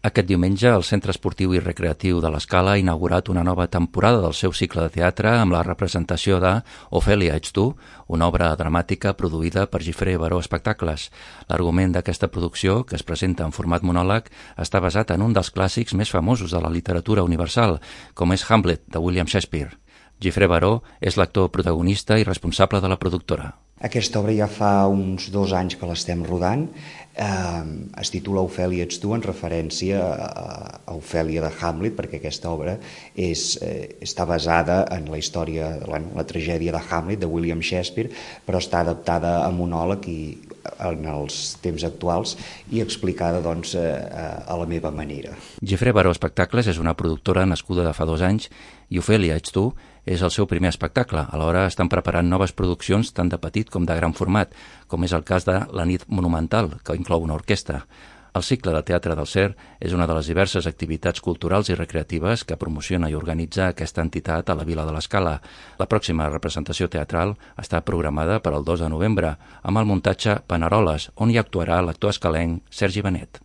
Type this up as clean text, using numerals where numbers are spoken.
Aquest diumenge, el Centre Esportiu i Recreatiu de l'Escala ha inaugurat una nova temporada del seu cicle de teatre amb la representació de Ofèlia, ets tu?, una obra dramàtica produïda per Gifré Baró Espectacles. L'argument d'aquesta producció, que es presenta en format monòleg, està basat en un dels clàssics més famosos de la literatura universal, com és Hamlet, de William Shakespeare. Gifré Baró és l'actor protagonista i responsable de la productora. Aquesta obra ja fa uns 2 anys que l'estem rodant. Es titula Ofèlia, ets tu?, en referència a Ofèlia de Hamlet, perquè aquesta obra està basada en la història, la tragèdia de Hamlet, de William Shakespeare, però està adaptada a monòleg i en els temps actuals i explicada a la meva manera. Gifré Baró Espectacles és una productora nascuda de fa 2 anys i Ofèlia, ets tu?, és el seu primer espectacle. Alhora estan preparant noves produccions tant de petit com de gran format, com és el cas de La nit monumental, que inclou una orquestra. El cicle de teatre del CER és una de les diverses activitats culturals i recreatives que promociona i organitza aquesta entitat a la Vila de l'Escala. La pròxima representació teatral està programada per al 2 de novembre amb el muntatge Paneroles, on hi actuarà l'actor escalenc Sergi Benet.